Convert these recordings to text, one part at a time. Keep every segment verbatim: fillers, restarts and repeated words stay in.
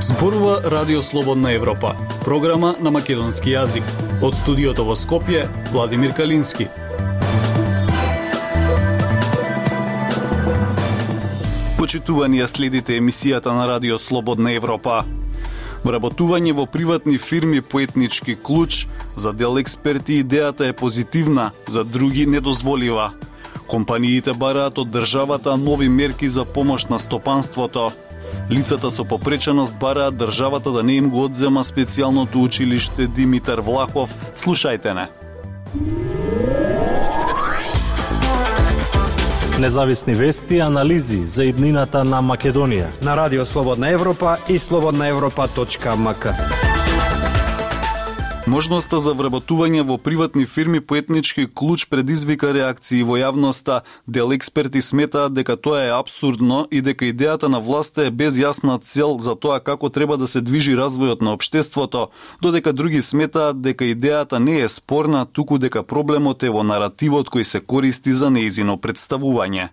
Зборува Радио Слободна Европа, програма на македонски јазик. Од студиото во Скопје, Владимир Калински. Почитувани, следите емисијата на Радио Слободна Европа. Вработување во приватни фирми по етнички клуч, за дел експерти идејата е позитивна, за други недозволива. Компаниите бараат од државата нови мерки за помош на стопанството. Лицата со попреченост бараат државата да не им го одзема специјалното училиште Димитар Влахов. Слушајте не. Независни вести и анализи за иднината на Македонија на Радио Слободна Европа и слободна европа точка ем ка. Можноста за вработување во приватни фирми по етнички клуч предизвика реакции во јавноста. Дел експерти сметаат дека тоа е апсурдно и дека идејата на власта е без јасна цел за тоа како треба да се движи развојот на општеството, додека други сметаат дека идејата не е спорна, туку дека проблемот е во наративот кој се користи за нејзино представување.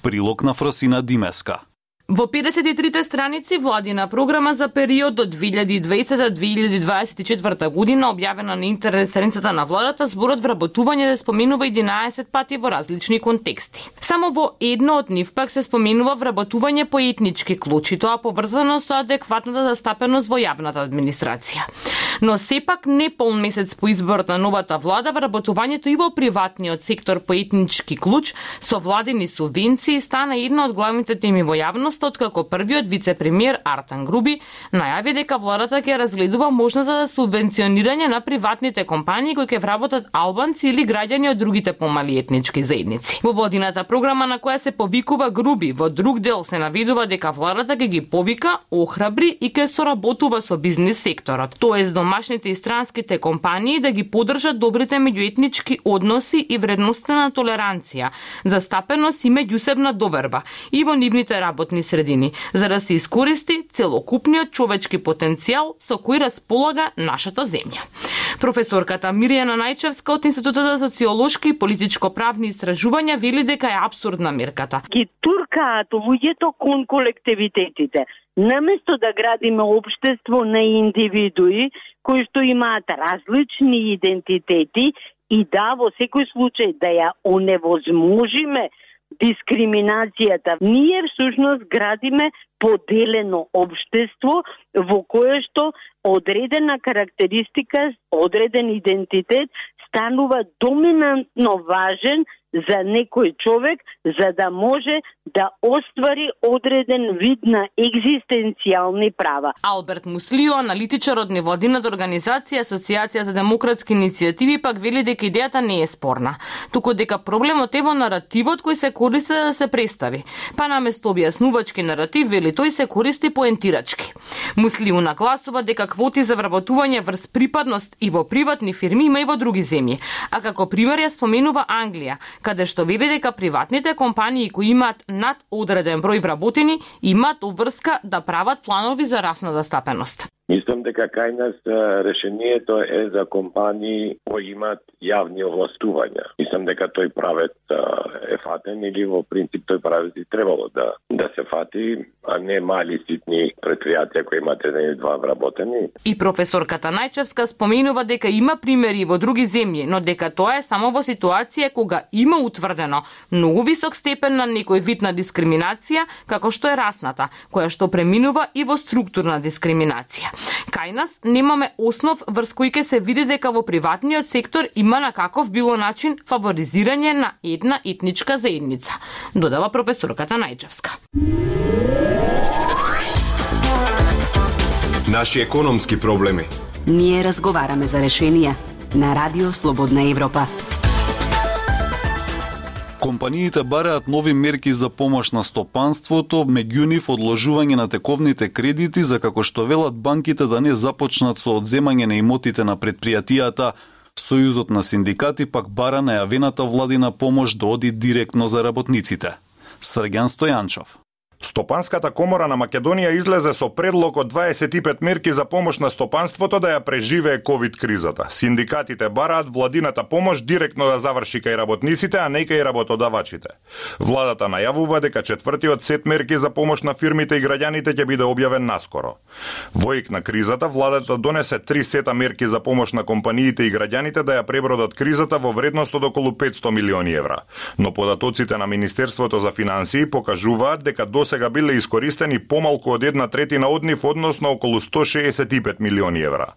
Прилог на Фросина Димеска. Во педесет и трите страници владина програма за период од две илјади и дваесета до две илјади дваесет и четврта година, објавена на интернет страницата на владата, зборот вработување се споменува единаесет пати во различни контексти. Само во едно од нив пак се споменува вработување по етнички клуч, и тоа поврзано со адекватната застапеност во јавната администрација. Но сепак не полн месец по изборот на новата влада, вработувањето и во приватниот сектор по етнички клуч со владини субвенции стана една од главните теми во јавност, откако првиот вице-премиер Артан Груби најави дека владата ќе разгледува можната за субвенционирање на приватните компании кои ќе вработат албанци или граѓани од другите помали етнички заедници. Во владината програма на која се повикува Груби, во друг дел се наведува дека владата ќе ги повика, охрабри и ќе соработува со бизнис секторот, тоест домашните и странските компании да ги поддржат добрите меѓуетнички односи и вредноста на толеранција, застапеност и меѓусебна доверба и во нивните работни средини, за да се искористи целокупниот човечки потенцијал со кој располага нашата земја. Професорката Мирјана Најчевска од Институтот за социолошки и политичко-правни истражувања вели дека е апсурдна мерката. Ги туркаат луѓето кон колективитетите. Наместо да градиме општество на индивидуи кои што имаат различни идентитети и да во секој случај да ја оневозможиме дискриминацијата, ние всушност градиме поделено општество во кое што одредена карактеристика, одреден идентитет станува доминантно важен за некој човек, за да може да оствари одреден вид на екзистенцијални права. Алберт Муслио, аналитичар од невладината организација Асоцијацијата демократски иницијативи, пак вели дека идејата не е спорна, туку дека проблемот е во наративот кој се користи да се представи. Па наместо објаснувачки наратив, вели тој се користи поентирачки. Муслио нагласува дека квоти за вработување врз припадност и во приватни фирми има и во други земји, а како пример ја споменува Англија, каде што вели дека приватните компании кои имаат над одреден број вработени имаат обврска да прават планови за расна застапеност. Мислам дека кај нас решението е за компании кои имаат јавни овластувања. Мислам дека тој правец е фатен или во принцип тој правец и требало да да се фати, а не мали ситни предпријатија кои имаат еден или два вработени. И професорката Најчевска споменува дека има примери во други земји, но дека тоа е само во ситуација кога има утврдено многу висок степен на некој вид на дискриминација, како што е расната, која што преминува и во структурна дискриминација. Кај нас немаме основ врз кој ќе се види дека во приватниот сектор има на каков било начин фаворизирање на една етничка заедница, додава професорката Најчевска. Наши економски проблеми. Ние разговараме за решенија на Радио Слободна Европа. Компаниите бараат нови мерки за помош на стопанството, меѓу нив одложување на тековните кредити за како што велат банките да не започнат со одземање на имотите на предпријатијата. Сојузот на синдикати пак бара најавената владина помош да оди директно за работниците. Срѓан Стојанчов. Стопанската комора на Македонија излезе со предлог од дваесет и пет мерки за помош на стопанството да ја преживее ковид кризата. Синдикатите бараат владината помош директно да заврши кај работниците, а не кај работодавачите. Владата најавува дека четвртиот сет мерки за помош на фирмите и граѓаните ќе биде објавен наскоро. Во ек на кризата, владата донесе три сета мерки за помош на компаниите и граѓаните да ја пребродат кризата во вредност од околу петсто милиони евра. Но податоците на Министерството за финансии покажуваат дека досега биле искористени помалку од една третина од нив, односно околу сто шеесет и пет милиони евра.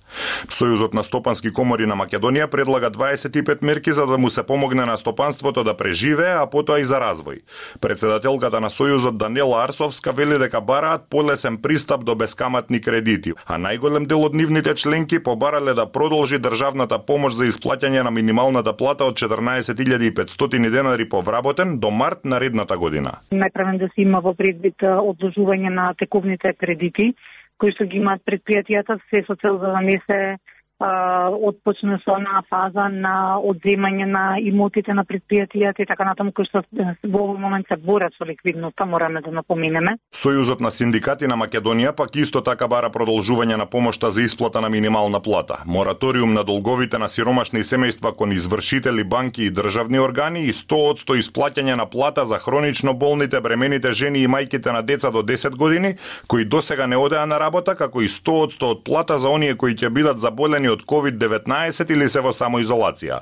Сојузот на стопански комори на Македонија предлага дваесет и пет мерки за да му се помогне на стопанството да преживее, а потоа и за развој. Председателката на Сојузот Данела Арсовска вели дека бараат полесен пристап до бескаматни кредити, а најголем дел од нивните членки побарале да продолжи државната помош за исплаќање на минималната плата од четрнаесет илјади и петстотини денари по вработен до март наредната година. Најправен да се има во предвид одложување на тековните кредити кои што ги имаат предпријатијата, се со цел за да не се отпочне со на фаза на одземање на имотите на предпријатијата и така натаму, кои што во овој момент се борат со ликвидноста, мораме да напоменеме. Сојузот на синдикати на Македонија пак исто така бара продолжување на помошта за исплата на минимална плата, мораториум на долговите на сиромашни семејства кон извршители, банки и државни органи и сто одсто исплаќање на плата за хронично болните, бремените жени и мајките на деца до десет години кои досега не одеа на работа, како и сто одсто од плата за оние кои ќе бидат заболени од ковид деветнаесет или се во самоизолација.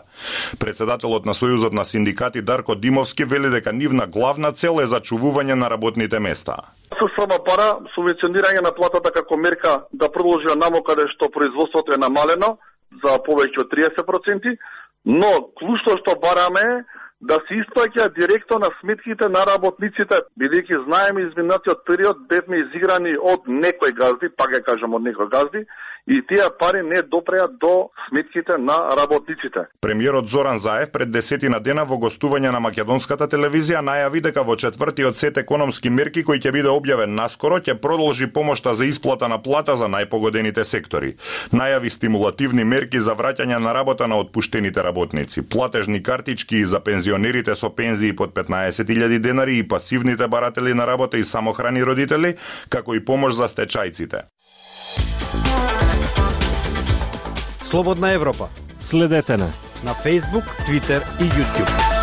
Председателот на Сојузот на синдикати Дарко Димовски вели дека нивна главна цел е зачувување на работните места. Со сама пара, субвенционирање на платата како мерка да продолжи наму каде што производството е намалено за повеќе од триесет проценти, но клучно што бараме е да се исплаќа директно на сметките на работниците, бидејќи знаеме изминатиот период бевме изиграни од некои газди, пак ја кажам од некои газди, и тие пари не допреа до сметките на работниците. Премиерот Зоран Заев пред десетина дена во гостување на македонската телевизија најави дека во четвртиот сет економски мерки кој ќе биде објавен наскоро ќе продолжи помошта за исплата на плата за најпогодените сектори. Најави стимулативни мерки за враќање на работа на отпуштените работници, платежни картички за пензионерите со пензии под петнаесет илјади денари и пасивните баратели на работа и самохрани родители, како и помош за стечајците. Слободна Европа. Следете на на Facebook, Twitter и YouTube.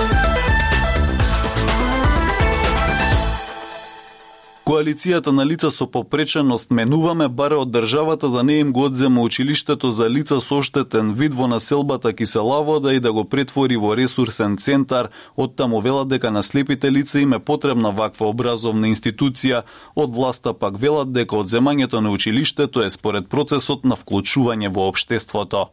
Коалицијата на лица со попреченост Менуваме баре од државата да не им го одзема училиштето за лица со оштетен вид во населбата Киселавода и да го претвори во ресурсен центар. Оттаму велат дека на слепите лица им е потребна ваква образовна институција. Од власта пак велат дека одземањето на училиштето е според процесот на вклучување во општеството.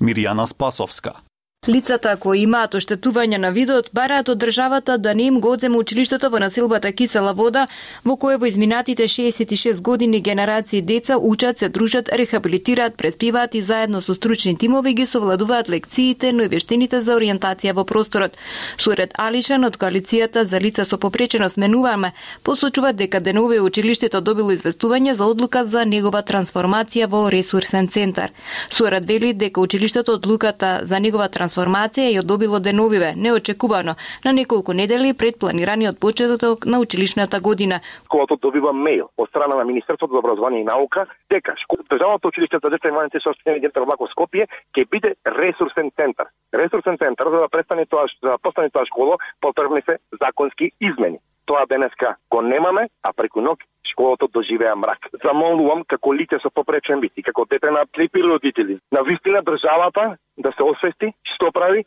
Мирјана Спасовска. Лицата кои имаат оштетување на видот бараат од државата да не им го одземе училиштето во населбата Кисела Вода, во кое во изминатите шеесет и шест години генерации деца учат, се дружат, рехабилитираат, преспиваат и заедно со стручни тимови ги совладуваат лекциите, но и вештините за ориентација во просторот. Сурет Алишан од коалицијата за лица со попреченост Менуваме посочуваат дека денове училиштето добило известување за одлука за негова трансформација во ресурсен центар. Сурет вели дека училиштето одлуката за негова трансформација трансформација ја добило деновиве, неочекувано, на неколку недели пред планираниот почеток на училишната година. Школата добива мејл од страна на Министерството за образование и наука дека државното училиште за деца и млади со оштетени дете во Скопје ќе биде ресурсен центар. Ресурсен центар за да престане тоа, за да постане тоа школа, потребни се законски измени. Тоа денеска го немаме, а преку ноќ школата доживеа мрак. Замолувам како лице со попречен вид и како дете на слепи родители, на вистина државата да се освести што прави.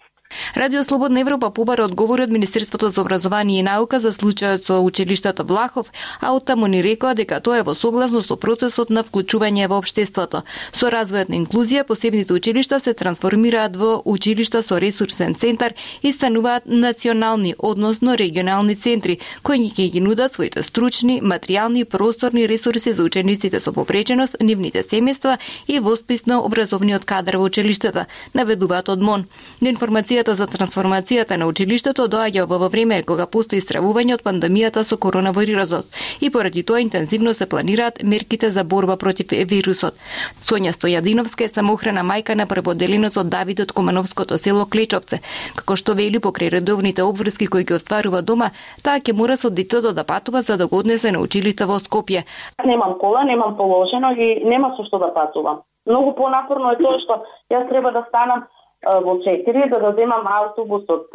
Радио Слободна Европа побара одговори од Министерството за образование и наука за случајот со училиштето Влахов, а оттаму ни рекоа дека тоа е во согласно со процесот на вклучување во општеството. Со развојот на инклузија, посебните училишта се трансформираат во училишта со ресурсен центар и стануваат национални, односно регионални центри, кои ќе ги нудат своите стручни, материјални и просторни ресурси за учениците со попреченост, нивните семејства и восписно образовниот кадар во училиштата, наведуваат од МОН. До информација Комисијата за трансформацијата на училиштето доаѓа во време кога постои стравување од пандемијата со коронавирусот и поради тоа интензивно се планираат мерките за борба против вирусот. Сонја Стојадиновска е самоохрана мајка на прводеленецот Давид од Комановското село Клечовце. Како што вели, покрај редовните обврски кои ги остварува дома, таа ќе мора со детето да патува за да го однесе на училиште во Скопје. Немам кола, немам положено и нема со што да патувам. Многу понапорно е тоа што јас треба да станам во четири за да земам автобус од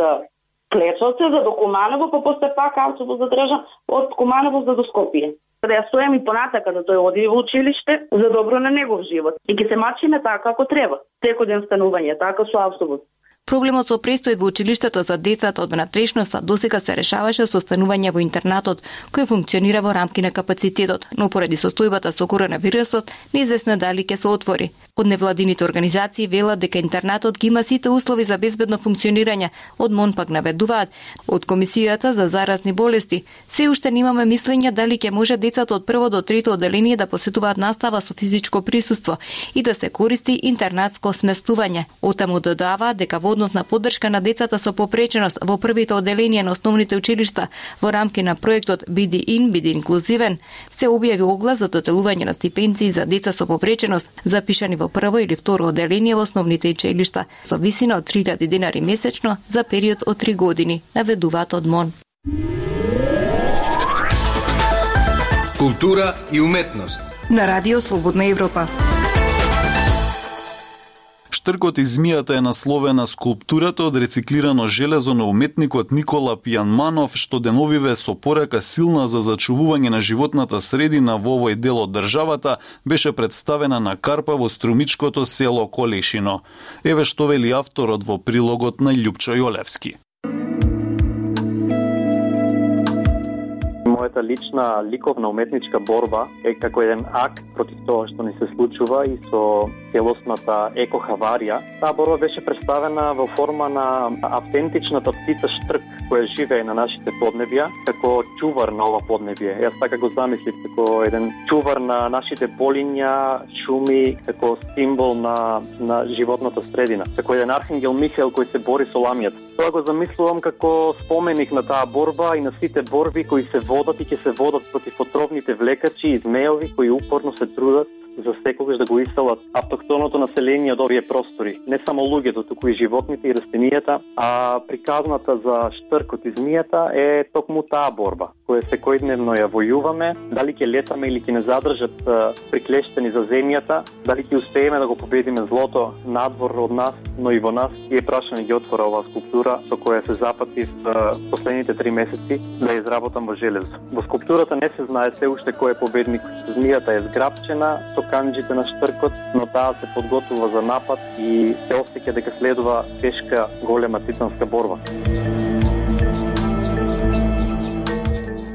Клечовце за до Куманово, па после пак автобус да држам од Куманово за до Скопје. Да ја стојам и понатака да тој оди во училиште за добро на негов живот. И ќе се мачиме така како треба. Секојден станување, така со автобус. Проблемот со престој во училиштето за децата од внатрешноста досега се решаваше со станување во интернатот, кој функционира во рамки на капацитетот, но поради состојбата со коронавирусот, неизвестно е дали ќе се отвори. Од невладините организации велат дека интернатот ги има сите услови за безбедно функционирање, од МОН пак наведуваат. Од Комисијата за заразни болести се уште немаме мислење дали ќе може децата од прво до трето одделение да посетуваат настава со физичко присуство и да се користи интернатско сместување. Отаму додава дека во однос на поддршка на децата со попреченост во првите одделенија на основните училишта во рамки на проектот Биди ин, биди инклузивен, се објави оглас за доделување на стипендии за деца со попреченост, запишани во прво или второ одделение во основните училишта, со висина од три илјади денари месечно за период од три години, наведуваат од МОН. Култура и уметност на Радио Слободна Европа. Штркот и змијата е насловена скулптурата од рециклирано железо на уметникот Никола Пијанманов, што деновиве со порака силна за зачувување на животната средина во овој дел од државата беше представена на Карпа во струмичкото село Колешино. Еве што вели авторот во прилогот на Љупчо Јолевски. Мојата лична ликовна уметничка борба е како еден акт против тоа што ни се случува и со целосната екохаварија. Таа борба беше представена во форма на автентичната птица штрк која живее на нашите поднебја како чувар на ова поднебје. Јас така го замислив како еден чувар на нашите полиња, шуми, како символ на на животната средина, како еден архангел Михаел кој се бори со ламјата. Тоа го замислувам како споменик на таа борба и на сите борби кои се водат и ќе се водат против отровните влекачи и змеови кои упорно се трудат за секогаш да го иселат автохтоното население од овие простори. Не само луѓето, туку и животните и растенијата, а приказната за штркот и змијата е токму таа борба, која секојдневно ја војуваме, дали ќе летаме или ќе не задржат приклештени за земјата, дали ќе успееме да го победиме злото надвор од нас, но и во нас, и е прашање ги отвора оваа скулптура со која се запатив последните три месеци да ја изработам во железо. Во скулптурата не се знае се уште кој е победник. Змијата е зграпчена со канџите на штркот, но таа се подготвува за напад и се осеќа дека следува тешка, голема титанска борба.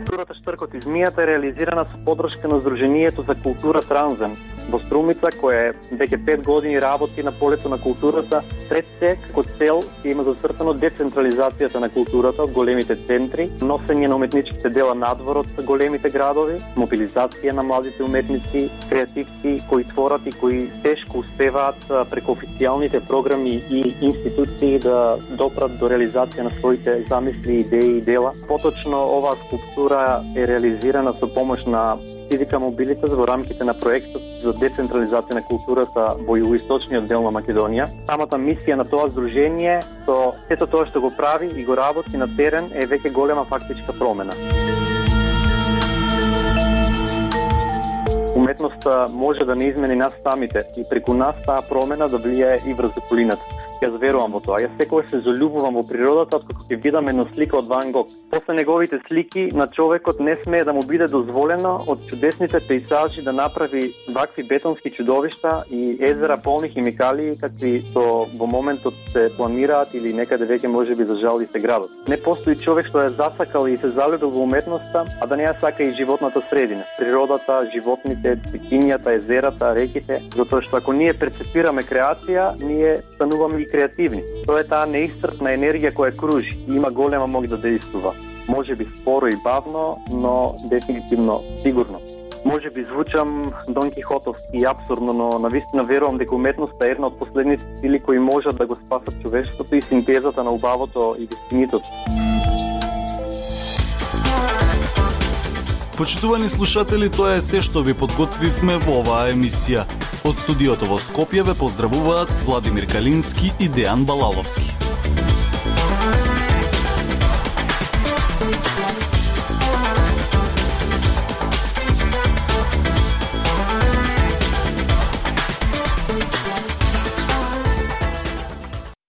Скулптурата Штркот и змијата е реализирана со поддршка на Сдруженијето за култура Транзем во Струмица, кој веќе пет години работи на полето на културата. Пред се, како цел, има зацртано децентрализацијата на културата од големите центри, носење на уметничките дела надвор од големите градови, мобилизација на младите уметници, креативци кои творат и кои тешко успеваат преку официјалните програми и институции да допрат до реализација на своите замисли, идеи и дела. Поточно, оваа скулптура е реализирана со помош на Civica Mobilitas во рамките на проектот за децентрализација на културата во југоисточниот дел на Македонија. Самата мисија на тоа здружение со сето тоа што го прави и го работи на терен е веќе голема фактичка промена. Уметноста може да не измени нас самите и преку нас таа промена да влијае и врз околината. Јас верувам во тоа. Јас секогаш се залюбувам во природата откако ќе видам една слика од Ван Гог. После неговите слики на човекот не смее да му биде дозволено од чудесните пејзажи да направи вакви бетонски чудовишта и езера полни химикалии какви што во моментот се планираат или некаде веќе можеби за жал и се градат. Не постои човек што е засакал и се залюбил во уметноста, а да не ја сака и животната средина. Природата, животните, цвитињата, езерата, реките, затоа што ако ние перцепираме креација, ние стануваме и креативни. Тоа е таа неисцрпна енергија која кружи и има голема моќ да действува. Може би споро и бавно, но дефинитивно сигурно. Може би звучам Дон Кихотовски и абсурдно, но навистина верувам дека уметноста е една од последните сили кои можат да го спасат човештвото и синтезата на убавото и вистинитото. Почитувани слушатели, тоа е се што ви подготвивме во оваа емисија. Од студиото во Скопје ве поздравуваат Владимир Калински и Дејан Балаловски.